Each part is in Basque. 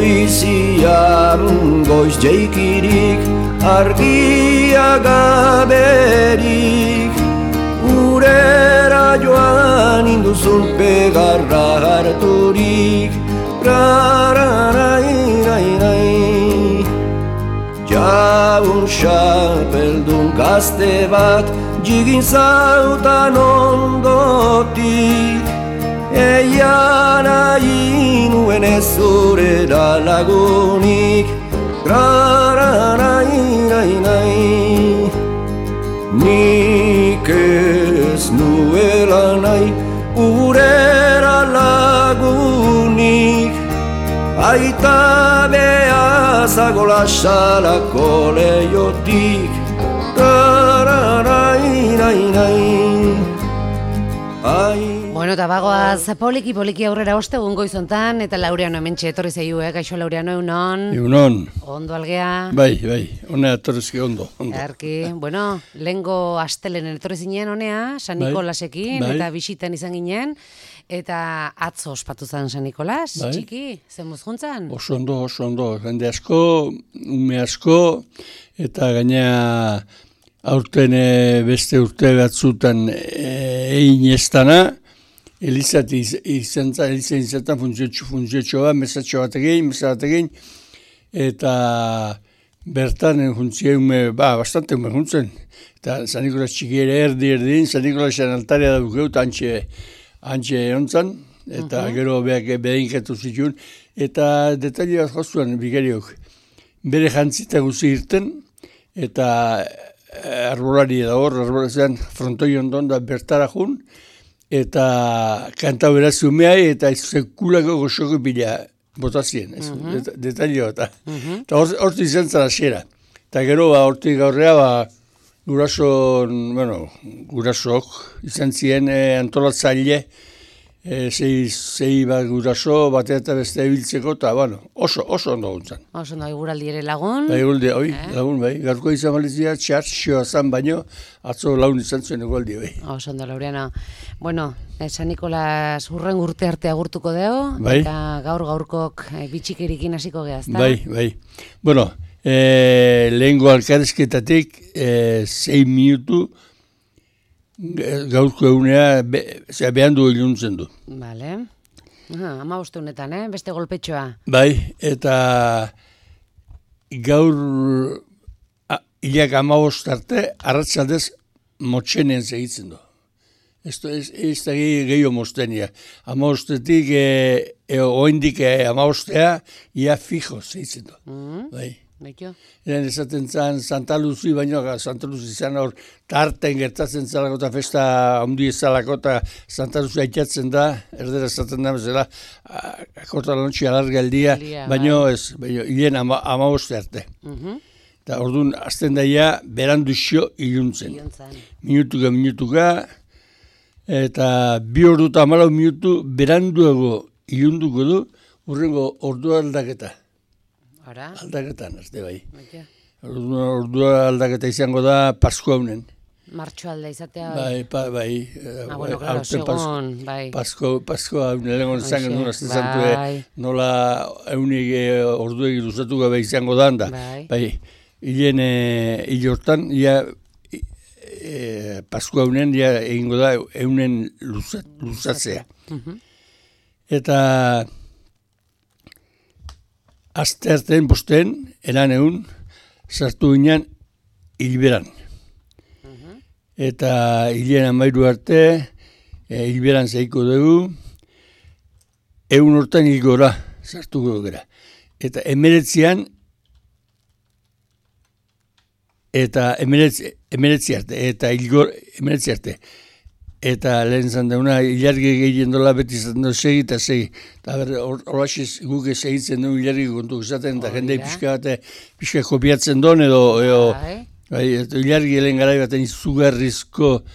polizian goiz jeikirik, argia gaberik, urera joan induzun pegarra harturik, rararairai. Jaun xapeldun gazte bat, jigin zautan ondotik, eia nahi nuen ez zurera lagunik, rararairai. Nik ez nuela nahi urera lagunik, aita behazago lasalako leiotik, rararairai. Bueno, eta bagoaz poliki aurrera ostegun goizontan, eta Laureano hementxe etorri zeiu, Kaixo Laureano, egunon? Egunon. Ondo algea? Bai, honea etorrizki ondo. Erki, bueno, lehengo astelenen etorri zinen honea, San Nikolasekin, eta bisitan izan ginen, eta atzo ospatu zen San Nikolas, txiki, zenbuz juntzan? Oso ondo, jende asko, ume asko, eta gaina aurten beste urte batzutan egin estana, Elizati izan funtzio bat, mesatxo bat egin, eta bertan funtzio bastante ume juntzen. Eta San Nikolas txiki ere erdin, San Nikolasen altaria da bukeut, antxe ontzan, eta gero behinketu zituen, eta detaile bat joztuan bigariok. Bere jantzita guzi irten, eta arbolari da hor, arbolazan frontoi ondon da bertara jun, eta kanta beraz umeai, eta sekulako goxoko bila botazien, detaile bat. Eta hortu izan zara xera. Eta gero hortik gaurrea, gurasok izan ziren antolatzaile, zei bat guraso, batea eta beste ebiltzeko, eta oso ondo guntzan. Oso ondo, eguraldi ere lagun. Lagun, garko izan balizia, txartxioa zan baino, atzo lagun izan zuen eguraldi, Oso ondo, Laureano. Bueno, San Nikolas hurren urte arte agurtuko deo, eta gaurkok bitxikerikin hasiko gehaz, da? Bai. Bueno, lehengo alkarezketatik 6 minutu, gaurko egunea behan du iluntzen du. Bale. 15 honetan, beste golpetxoa. Bai, eta gaur hilak 15 arte, arratsaldez motxenen segitzen du. Ez da gehiago mostenia. 15-etik, oendik 15-a, ia fijo segitzen du. Bai. Eren esaten zan Santa Luzi, baina Santa Luzi izan hor tarten gertatzen zalako eta festa handi ezalako eta Santa Luzi aitatzen da, erdera esaten da bezala, akorta lanontxi alarga eldia, baina ez, hilen 15 arte. Eta orduan, azten daia, beranduzio iluntzen. Minutuka, eta 2 ordu eta 14 minutu beranduago ilunduko du, urrengo ordua aldaketa. Aldaketan, ez de bai. Ordua aldaketa izango da Paskua honen. Martxo alda izatea. Bai. Bueno, claro, segon, bai. Paskua honen egon zangen duen, azte zantue, nola eunik orduegi luzatu gabe izango da handa. Bai, hile hortan, Paskua honen egingo da eunen luzatzea. Eta azte artean posten, eran egun, sartu ginen hilberan. Eta hilean 13 arte, hilberan zaiko dugu, egun hortan hilgora, sartuko gara. Eta 19 arte, eta hilgor 19 arte. Eta lehen zan dauna, hilargi gehien dola beti zaten du segi eta segi. Eta horrexiz guke segitzen du hilargi kontuk zaten, eta jendei pixka kopiatzen duen edo hilargi helen garai baten izugarrizko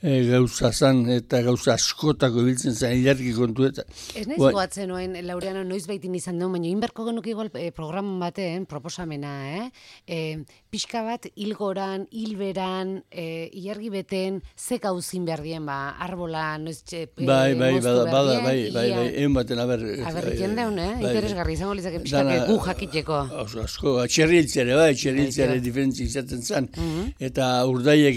gauza zan, eta gauza askotako biltzen zen, ilarki kontu eta. Ez nahiz goatzen noen, Laureano, noiz baitin izan duen, baina inberko genuk igual programan baten, proposamena, pixka bat, hilgoran, hilberan, ilargi beten, ze gauzin behar dien, arbola, noiz bai, egun baten, aberrikien deun, interesgarri izango litzake pixka gu jakiteko. Asko, txerriltzeare diferentzi izaten zen, eta urdaiek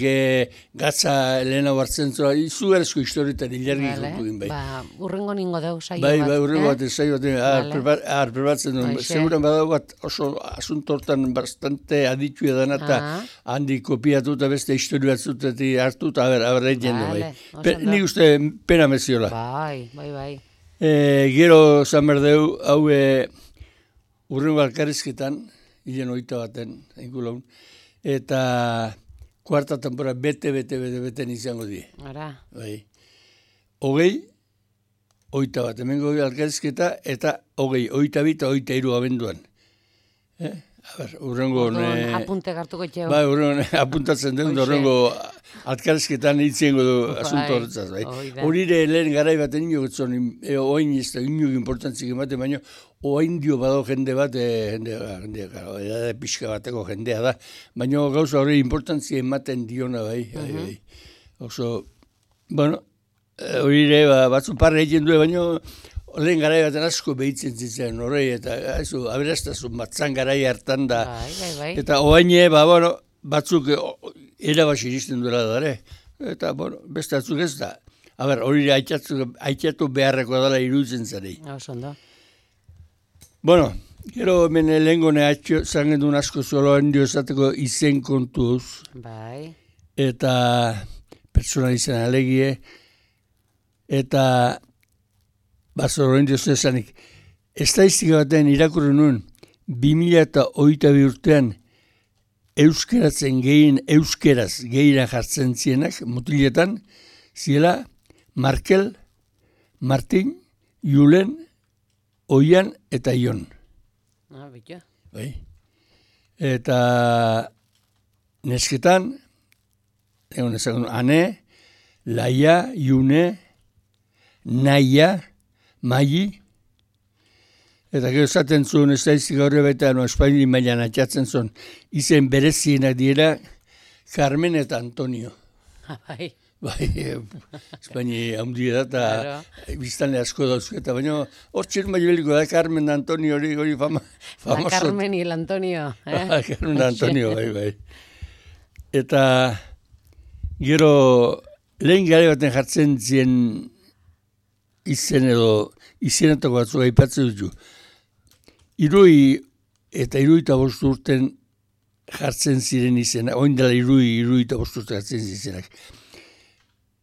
gatza lehena hartzen zua, izugarrizko historietan ilargi kontu egin bai. Urrengo ningo dau, saio bat. Urrengo bat, saio bat, preparatzen duen. Seguran badau bat oso asuntortan bastante aditu edan eta handi kopiatu eta beste historio batzutetik hartu eta egiten du bai. Nik uste pena meziola. Bai. Gero zan berdeu, hau urrengo alkarrizketan, hilen 21 engulaun, eta kuarta tempora bete izango die. Ara. Bai. 21, hemengo alkarrizketa, eta 22 eta 23 abenduan. Urrengo... Apunte gartuko txeo. Bai, urrengo apuntatzen den, urrengo alkarrizketan hitzengo du asunto horretzaz. Horire lehen garai bat ino gotzon, oain ez da ino importantzik ematen, baina oain dio bado jende bat, edade pixka bateko jendea da, baina gauza hori importantzia ematen diona bai. Oso, bueno, horire batzu parra egiten du, baina lehen garai baten asko behitzen zitzen horrei, eta aberastazun batzan garai hartan da. Eta oaine, batzuk erabasi iristen duela dara. Eta, beste batzuk ez da. Hori aitzatu beharreko dela iruditzen zarei. Osondo. Gero hemen lehengone zangen duen asko zolo handio esateko izen kontuz. Bai. Eta pertsona izan alegie. Eta bazoro handio zezanik. Estadistika baten irakurri nuen 2022 urtean euskeraz gehien jartzen zienak, mutiletan, ziela Markel, Martin, Julen, Oian eta Ion. Bitua. Bai. Eta nesketan, egon ezagun, Ane, Laia, June, Naia, Mai, eta gero esaten zuen estadistika horre baita, Espaini mailan atxatzen zuen, izen berezienak dira Carmen eta Antonio. Bai. Bai, Espaini handia da, eta biztanle asko dauzketa, baina hor txer maibeliko da Carmen da Antonio hori famoso. La Carmen y el Antonio. Carmen da Antonio, bai. Eta gero lehen gare baten jartzen zien izen edo izenetako batzuk aipatzen dutu. 75 urten jartzen ziren izena, oin dela 75 urten jartzen zirenak.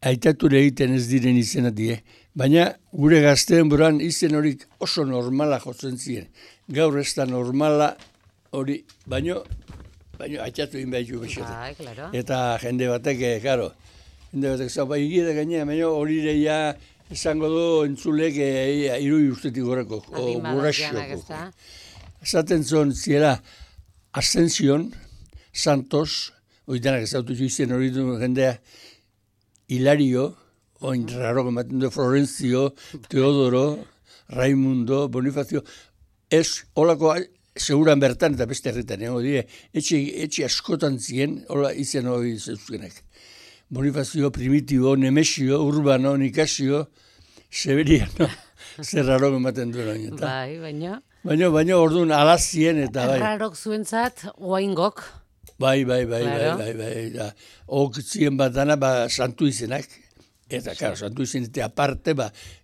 Aitature egiten ez diren izena die, baina gure gazteen buran izen horik oso normala jotzen ziren. Gaur ez da normala hori, baina aitatu egin behar jo bexetan. Eta jende batek, zaupa egia gainea, baina hori ja esango du entzulek 60 urtetik gorako, guraxioko. Esaten zuen ziela Ascension, Santos, hori denak ezautu izen hori du jendea, Hilario, oin raro ematen du, Florencio, Teodoro, Raimundo, Bonifacio, ez, holako, seguran bertan eta beste herritan, etxe askotan ziren, hola izen hori zeuzkenak. Bonifacio, Primitivo, Nemesio, Urbano, Nicasio, Severiano, zer raro ematen du. Bai, baina. Baina orduan alazien eta bai. Rarok zuentzat, oaingok. Bai. Ok zien bat dana, santu izenak. Eta, karo, santu izenetik aparte,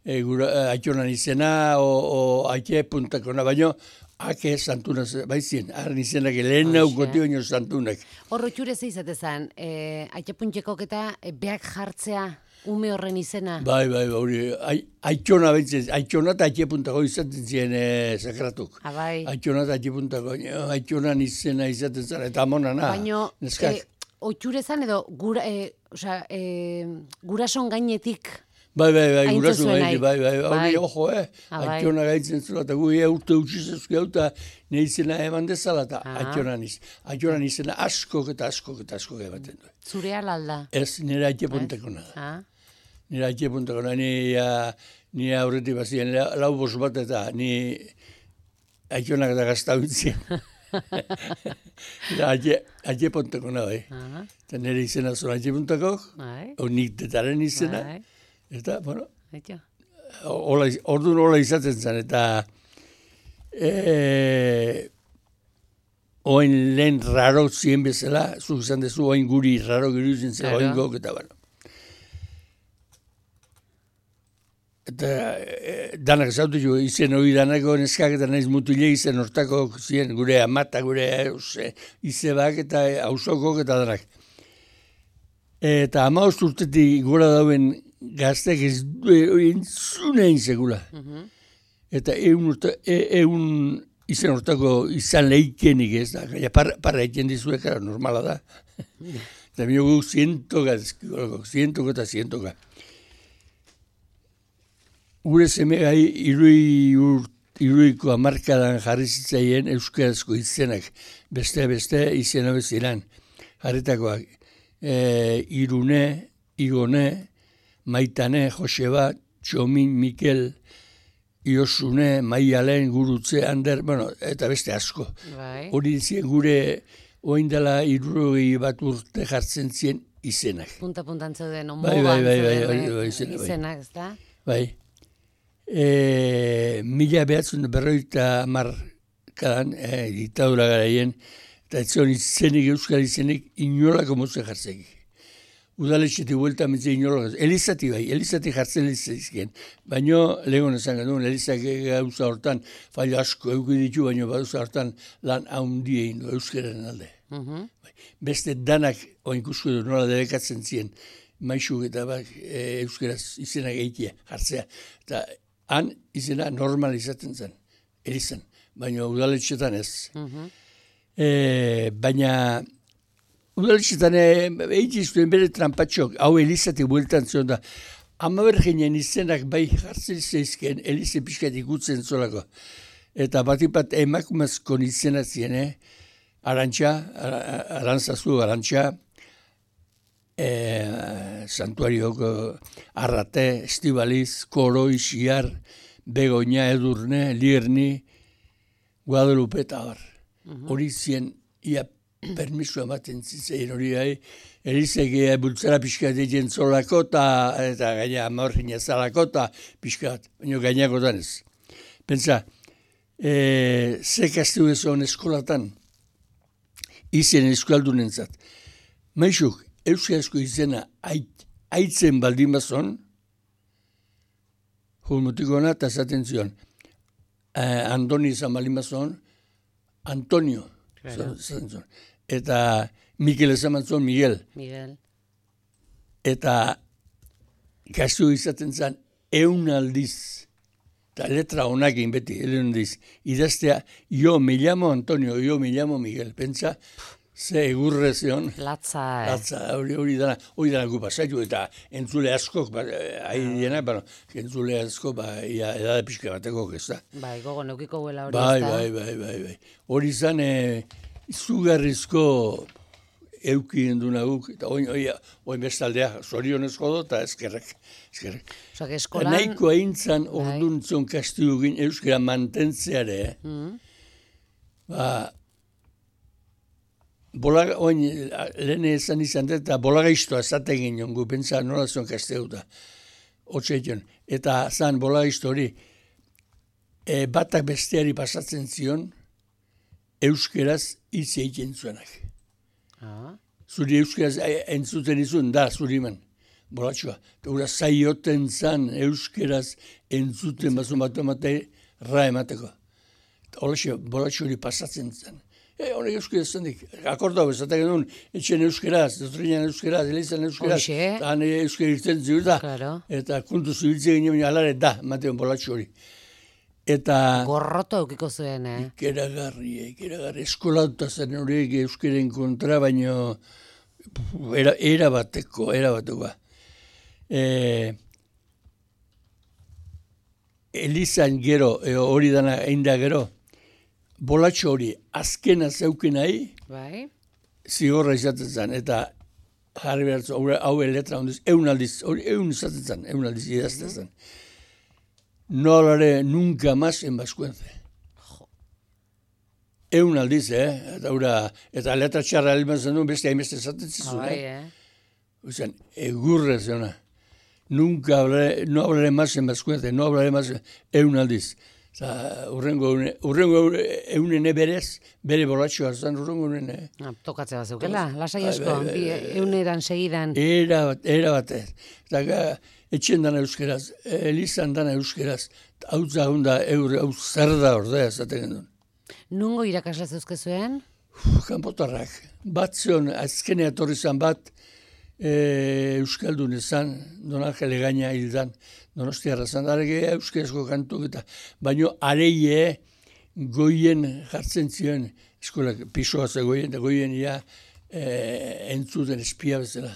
aitxonan izena, o aike puntakona, baina, ake santunak, bai zien, arren izenak, lehen naukoti baino santunak. Horro txure zeizatezan, aike puntekok eta beak jartzea, ume horren izena? Bai, hori, aitxona bentzen, aitxona eta aike puntako izaten ziren sakratuk. Bai. Aitxona eta aike puntako, aitxonan izena izaten zen, eta amonana. Baina, oitxure zan edo, gurason gainetik Bai, Haintze gurasu zuen nahi, nahi. hori, ojo, Bai. Aitzona gaitzen zela, eta gu urte utxizezko hau, eta ne izena eman dezala, eta Aitzonan izena askok ematen du. Zurea lalda? Ez, nire aitzepunteko nada. Nire aitzepunteko nada, ni aurretik bazien lau bos bat, eta ni Aitzonak da gaztabitzien. Aitzepunteko nada, Eta nire izena zuen aitzepunteko, nik detaren izena, eta, bueno, orduan hola izaten zen, eta oain lehen raro zien bezala, zuk izan dezu, oain guri raro giruzen zen, oain gok, eta, bueno. Eta danak zautu jo, izen hori danako neskak eta nahiz mutile izen hortako ziren, gure amata, gure izebak eta hausokok eta danak. Eta 15 urtetik gora dauen gaztek ez entzunein segula. Eta egun izen hortako izan leikenik ez da. Parra egiten dizuek, normala da. Eta biogu zientoka eta zientoka. Gure semegai iruiko hamarkadan jarri zitzaien euskarazko izenak. Beste izena beziran. Jarritakoak. Irune, Igone, Maitane, Joseba, Txomin, Mikel, Iosune, Maialen, Gurutze, Ander, bueno, eta beste asko. Hori dizien gure oindela 60 bat urte jartzen zien izenak. Punta-puntan zeuden, onbogan izenak, ez da? Bai. 1950 ditadura garaien, eta ez zion izenik, euskal izenik, inolako moze jartzekik. Udaletxetik buelta mentzen inolako. Elizati jartzen izan. Baina, legon esan genuen, Elizak gauza hortan, failo asko eukiditu, baina gauza hortan lan haundie indu, euskaren alde. Beste danak, oinkusko du, nola debekatzen ziren, maixuk eta euskaraz izena gehitia, jartzea. Eta han izena normalizatzen zen, Elizan, baina udaletxetan ez. Baina udaletxetan egiztuen bere trampatxok, hau Elizatik bueltan zion da, amaberginen izenak bai jartzen zeizken, Elize pixkat ikutzen zolako. Eta batipat emakumazkon izena ziren, Arantzazu, Santuarioko Arrate, Estibaliz, Koroi, Xiar, Begoña, Edurne, Lierni, Guadalupe eta bar. Hori zien, ia permiso ematen zitzen hori gai, Elizek bultzara pixkat egin zolako eta gaina amorgina zalako eta pixkat, baina gainakotan ez. Pentsa, ze kastu ezon eskolatan, izen eskaldunen zat. Maixuk, euskarazko izena aitzen baldin bazon, julmutikona eta zaten zion, Andoni izan baldin bazon, Antonio, zaten zion. Eta Mikel esan bazon, Miguel. Eta kastu izaten zen, 100 aldiz, eta letra honakin beti, idaztea, yo me llamo Antonio, yo me llamo Miguel, pentsa, ze egurre zion. Latza, hori dana gu pasaitu, eta entzule askok, entzule askok, edade pixka bateko, ez da. Bai, gogo neukiko guela hori ez da. Bai. Hori zan, izugarrizko eukien du naguk, eta oin bestaldea, zorionezko do, eta eskerrek. Osak, eskolan... Naiko aintzan orduntzon kastigugin euskera mantentzeare, lehen ezan izan dut, eta bolaga iztoa zaten ginen gu, pentsa nola zion kasteuta, otxeition. Eta zan bolaga izto hori, batak besteari pasatzen zion, euskeraz hitz egiten zuenak. Zuri euskeraz entzuten izun, da, zuri man, bolatxoa. Eta zaioten zan euskeraz entzuten bazun bat ra emateko. Hola, bolatxo hori pasatzen zen. Honek euskeraz zendik, akorda hau, ezatak genuen, etxen euskeraz, dotrinan euskeraz, elizan euskeraz, eta han euskera irten ziur da, eta kontu zubiltzen ginen, alare da, mateon bolatxo hori. Eta... Gorroto eukiko zuen, Ikeragarri, eskolauta zen horiek euskeren kontra, baino erabateko. Elizan gero, hori dana egin da gero, bolatxo hori azkena zeuken nahi, Bai. zigorra izaten zen, eta jarri behartzu, hau letra hondiz, eun aldiz izaten zen, eun aldiz idazten zen. No hablaré nunca más en vascuence. Eun aldiz, eta letra txarra alban zen duen, beste hainbeste zaten zizun, Ozean, egurre zena. No hablaré más en vascuence, no hablaré más eun aldiz. Urrengo eunene berez, bere bolatxoa zen urrengo eunene. Tokatzea bat zeukela, lasai asko, euneran segidan. Era batez. Eta etxen dana euskeraz, elizan dana euskeraz, hau zahunda hau zer da ordea, zaten gendun. Nungo irakasla zeuzkezuen? Kanpotarrak. Bat zion, azkenea torri zan bat, Euskaldun ezan, Don Angel Egaña hildan, Donostiarra zan, arege euskerazko kantu eta, baino areie goien jartzen zion, eskolak pisoa zegoien, eta goien ia entzuten espia bezala.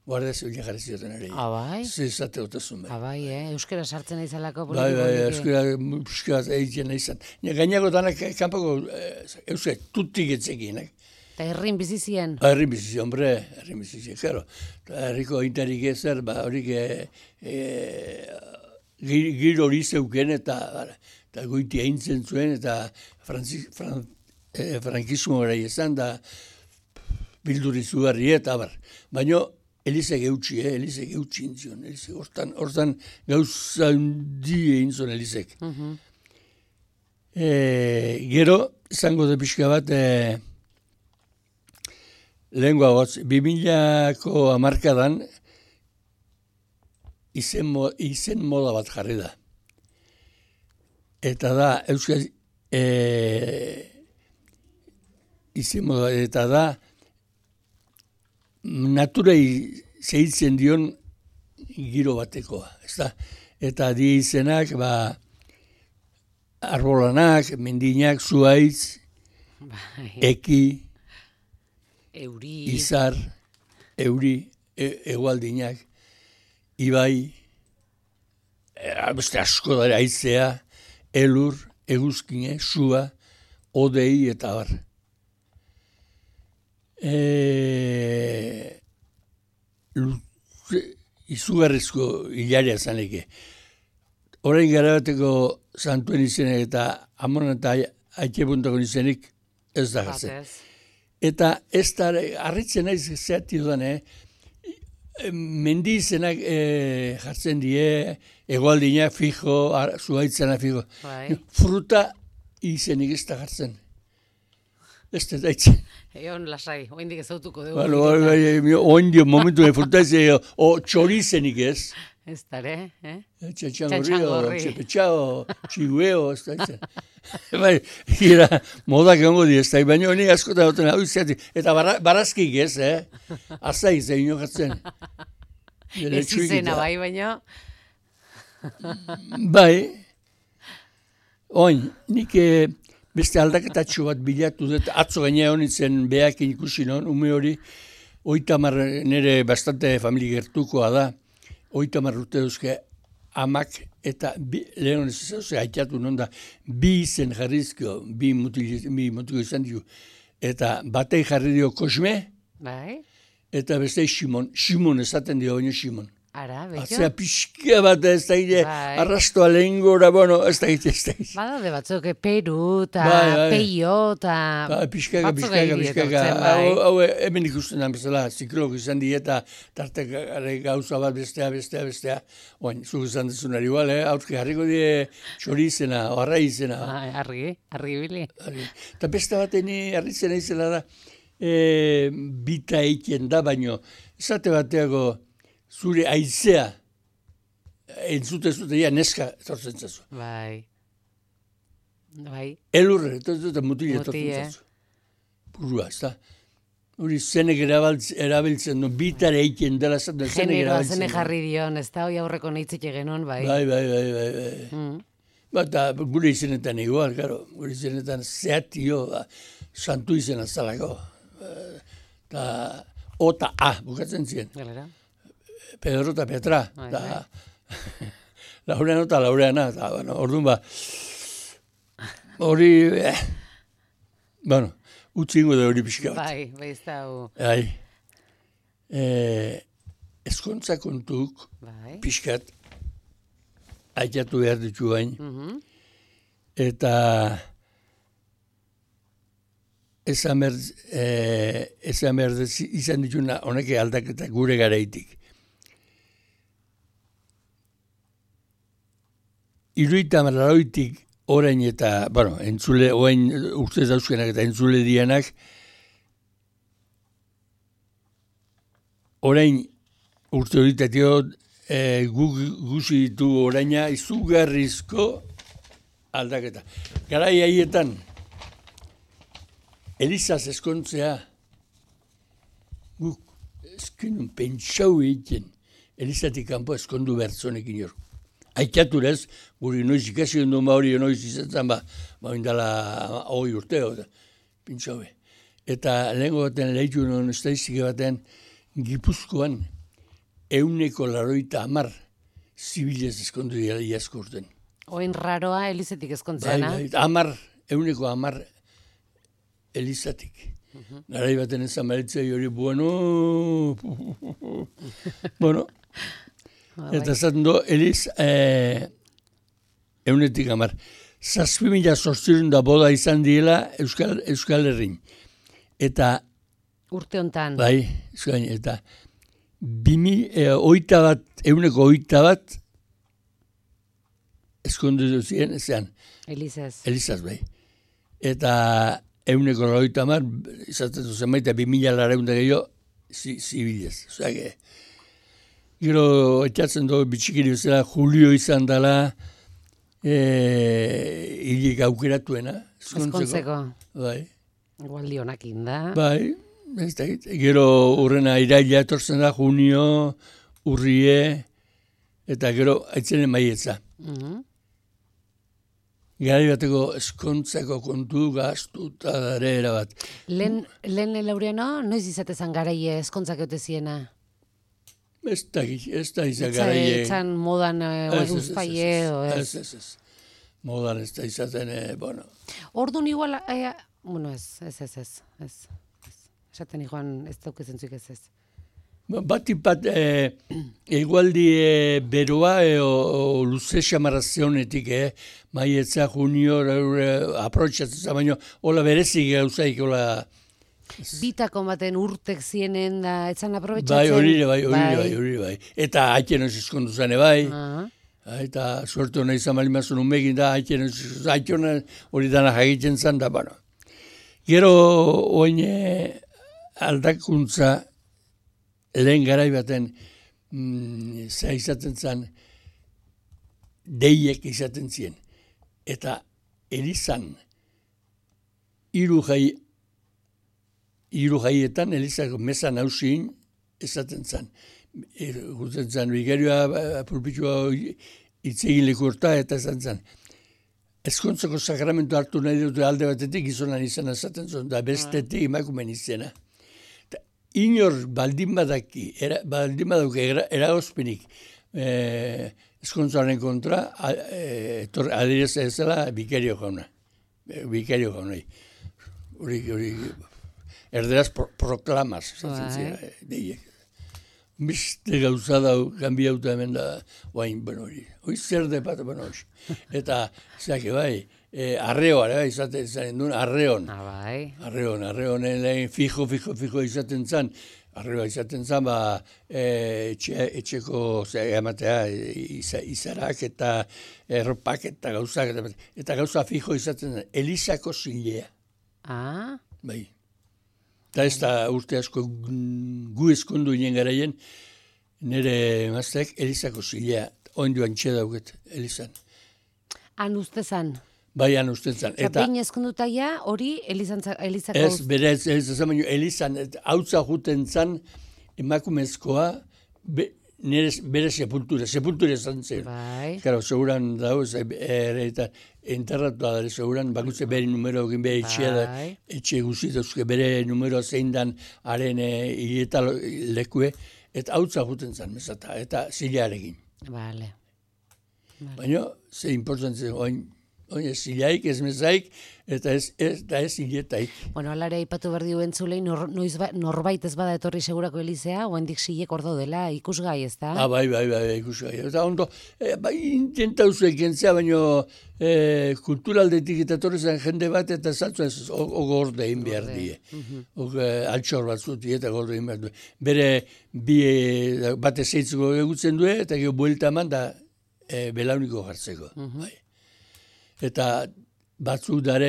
Guardia zibila jarri zioten areie. Bai? Zezate otazun bai. Bai, euskera sartzen naizalako Bai, politiko. euskera egiten naizan. Gainako danak kanpoko euskera tutik etzekinak. Eta herrin bizizien. Herrin bizizi, hombre, herrin bizizi, claro. Herriko aintarik ezer, horik giro hori zeuken eta goiti aintzen zuen eta frankismo gara izan da bilduri zugarri eta baina Elizek eutxi intzion, hortan gauza hundi egin zuen Elizek. Gero, izango de pixka bat, lehengoa gotz, 2000ko hamarkadan izen moda bat jarri da. Eta da, euskal izen moda, eta da, naturei zehitzen dion giro batekoa, ezta? Eta di izenak, arbolanak, mendinak, zuaitz, eki, izar, euri, egualdinak, ibai, beste asko dara aizea, elur, eguzkine, sua, odei eta bar. Izugarrizko hilaria zaneke. Orain gara bateko santuen izenek eta amon eta aike puntako izenik ez da jartzen. Eta ez da, harritzen naiz zehati dudan, mendi izenak jartzen die, egualdinak fijo, zuaitzena fijo. Fruta izenik ez da jartzen. Ez da daitzen. Egon lasai, oindik ezautuko dugu. Oindik momentu fruta txorizenik ez. Ez dara, Txantxangorri, txepetxao, txigueo, ez da itzen. Bai, gira, modak egongo di ez da, baina honi askotan duten hau izatik. Eta barazkik ez, azai ez da inokatzen. Ez izena bai, baina. Bai, oin, nik beste aldaketatxo bat bilatu dut, atzo gaina honitzen behakin ikusi non, ume hori, 30 nire bastante familia gertukoa da, 30 urte duzke amak eta lehen ez zauze haitatu non da, bi izen jarrizko, bi mutiko izan dio, eta batei jarri dio Kosme, eta beste Simon esaten dio baino Simon. Ara, betxo? Atzea pixka bat ez da ide, arrastoa lehen gora, bueno, ez da ide. Badaude batzuk, Peru, eta Peio, eta pixkaka. Hau hemen ikusten da bezala, ziklok izan die, eta tartek gauza bat bestea. Oin, zuk izan dezunari igual, aurki harriko die txorizena, arra izena. Argi bili. Eta beste bat harrizena izela da, bita eiken da, baino, esate bateago, zure aizea entzute neska etortzen zazu. Bai. Elurre, eta mutile etortzen zazu. Burua, ez da. Hori zenek erabiltzen du, bitar eiken dela zaten zenek erabiltzen du. Zenek jarri dion, ez da, hoi aurreko neitzik egenon, bai. Bai. Bata, gure izenetan igual, karo. Gure izenetan zehatio, santu izena zalako. Eta O eta A, bukatzen ziren. Galera. Pedro eta Petra, Laureano eta Laureana, eta, bueno, orduan ba, hori, bueno, utzingo da hori pixka bat. Bai, ez da, Bai, ezkontza kontuk, pixkat, aitatu behar ditu bain, eta esan behar izan dituna honek aldaketa gure garaitik. Iruita orain eta, bueno, entzule, oain urte dauzkenak eta entzule dianak, orain urte horitatio guzi ditu oraina izugarrizko aldaketa. Garai haietan, Elizaz eskontzea, guk eskenun pentsau egiten, Elizatik kanpo eskondu bertzonekin hor. Aikaturez, guri noiz ikasi ondo hori noiz izatzen indala 20 urte, pentsau. Eta lehenko baten lehitu non estadistike baten, Gipuzkoan 180 zibilez eskondu dira iazko urten. Oin raroa Elizetik eskontzeana? Bai, 110 Elizatik. Garai baten ezan baritzei hori, bueno, eta zaten do, Eliz, 110. 7.000 da boda izan diela Euskal Herrin. Eta urte hontan. Bai, eta 121 eskondu duzien, ezean. Elizaz, bai. Eta 190, izaten zuzen baita 2.000 gehiago, zibilez. Osea, gero, etxatzen dugu bitxikiri bezala, Julio izan dela, hilik aukeratuena. Eskontzeko. Bai. Gualdi honakin da. Bai. Gero urrena iraila etortzen da, junio, urrie, eta gero aitzenen maietza. Garai bateko eskontzako kontu gaztu eta dara erabat. Lehen Laureano, noiz izatezan garaie eskontzak euteziena? Ez da izan garaie. Etzan modan uzpaie edo ez? Ez. Modan ez da izaten, bueno. Orduan igual, ez. Esaten igual ez daukezentzuik ez. Bat, egualdi beroa o luze xamarazionetik, maietza, junio, aprotxatzen, baina hola berezik gauzaik, hola... Bitako baten urtek zienen da, etzan aprobetxatzen? Bai. Eta haiten oz eskondu zane, bai. Eta suertu hona izan malimazun unbegin da, haiten hori dana jagitzen zan da, bueno. Gero, oin aldakuntza, lehen garai baten izaten zen deiek izaten ziren. Eta Elizan hiru jaietan Elizako meza nausien izaten zen. Gutzen zen, bigarioa pulpitua itzegin lekurta eta esan zen. Ezkontzako sakramentu hartu nahi dute alde batetik gizonan izan esaten zuen, da bestetik emakumen izena. Inor baldin badauke eragozpenik eskontzaren kontra, adirez ezela bikario jauna. Hori, erderaz proklamas, zaten zira, deiek. Biste gauza dau, kanbiauta hemen da, guain, hori zer de bat, hori. Eta, zake, bai, arreoa, izaten duen, arreon. Arreon, lehen fijo izaten zan. Arreoa izaten zan, etxeko ematea, izarak eta erropak eta gauzak. Eta gauza fijo izaten zan, Elizako zilea. Bai. Eta ez da urte asko gu eskondu inen garaien, nire emazteak Elizako zilea, oinduan txedauket, Elizan. Han ustezan? Bai, han ustezan. Eta behin eskondutaia hori Elizako... Ez, berez, Elizan, hautza juten zan emakumezkoa, bere sepultura zan zen. Bai. Karo, seguran dago, eta enterratu da, seguran, bakutze bere numero egin bere etxea da, etxe guzituzke bere numero zein dan haren hileta lekue, eta hautza juten zan, mesata, eta zilearekin. Bale. Baina, ze importantzen, oin zilaik, ez mezaik, eta ez hiletaik. Bueno, alare aipatu berdi duen zulei, norbait ez bada etorri segurako Elizea, oendik zilek hor daudela, ikusgai, ez da? Bai, ikusgai. Eta ondo, bai, intentauzu ekentzea, baina kulturaldetik eta etorri zen jende bat, eta zaltzu ez, gorde egin behar die. Altxor bat zuti, eta gorde egin behar du. Bere, bate zeitzuko egutzen du, eta gero buelta eman da, belauniko jartzeko. Eta batzuk dare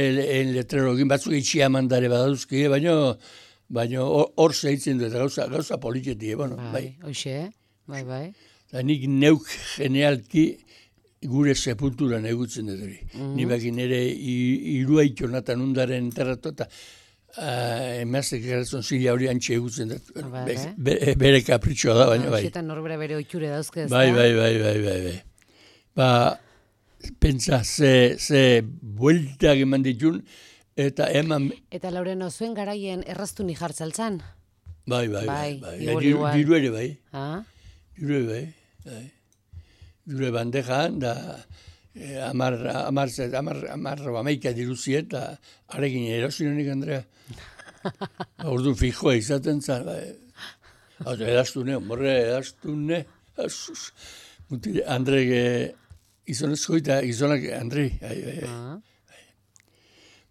letrerogin, batzuk itxia eman dare baduzki, baina hor zeitzen du, eta gauza politetik, bai. Hoxe, bai. Eta nik neuk genealki gure sepulturan egutzen dut hori. Ni bakin ere iruaitonatan undaren enterratu, eta emaztek geratzen zila hori antxe egutzen dut. Bere kapritxoa da, baina bai. Eta norbera bere oitxure dauzke, ez da? Bai. Ba, pentsa, ze bueltak eman ditun, eta eman... Eta Laureno, zuen garaien erraztu ni jartzaltzan? Bai. Diru ere bai. Diru bandejan, da amarro amaika diruziet, da arekin erosin honik, Andrea. Ordu fijoa izaten zan, edaztune, edaztune. Andrek... Gizonezko eta gizonak, Andrei.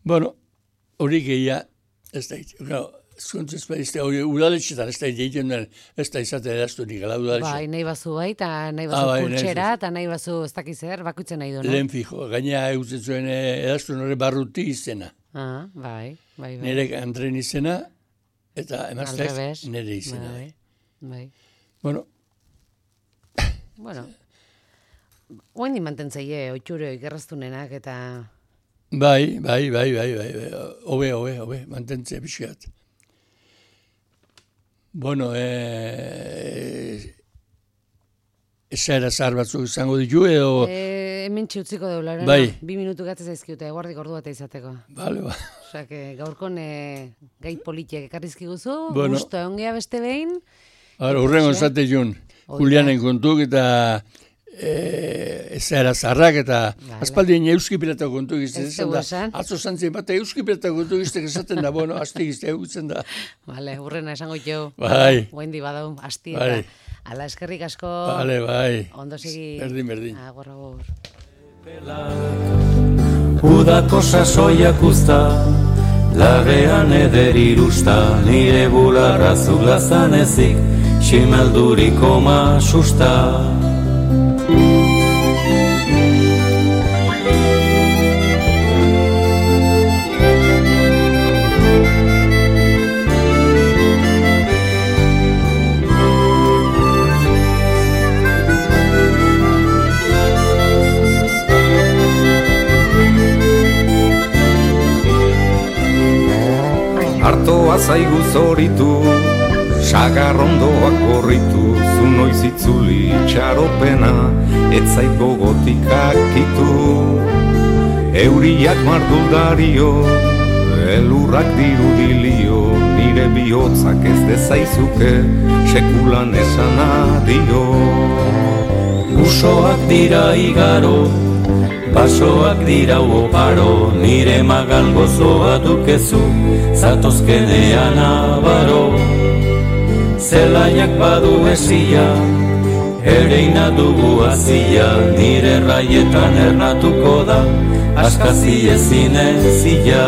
Bueno, hori gehia, ez da zuntz ez da, hori udaletxetan ez da egiten den, ez da izate edaztu nik, ala udaletxetan. Bai, nahi bazu bai, eta nahi bazu kurtxera, eta nahi bazu ez dakizer, bakutzen nahi du, no? Lehen fijo, gaina egutzen zuen edaztu nore barruti izena. Bai. Nere Andrein izena, eta emazteak nere izena. Bai. Bueno. Oendi mantentzaile, oitxure, ikerraztunenak, eta... Bai. Obe, mantentzea pixkat. Bueno, esaera zahar batzuk izango ditu, edo... Hemen txutziko deularen, bai. 2 minutu gatzez aizkiute, guardik ordu bat izateko. Bale. Osa, gaurkon gai politiak ekarrizki guzu, gusto ongea beste behin. Hurrengo zate jun, Julianen kontuk eta... Ezaera zarrak eta aspaldien euski pirata kontu gizte atzo zantzien bat euski pirata kontu gizte esaten da, bueno, asti gizte egutzen da. Bale, hurrena esango jo. Bai. Guendi badau, asti eta ala eskerrik asko. Bale, bai. Ondo segi. Berdin. Agur. Udako sasoiak usta, lagean eder irusta, nire bularra zulazan ezik, ximelduriko masusta. Artoa zaigu zoritu, sagarrondoak gorritu, zu noiz itzuli txaropena, etzait gogotikak kitu. Euriak marduldario, elurrak dirudilio, nire bihotzak ez dezaizuke, sekulan esan adio. Usoak dira igaro, basoak dira oparo, nire magal gozoa dukezu, zatozkenean abaro. Zelaiak badu esia, ereina dugu azia, nire raietan ernatuko da, askazi ezin ezia.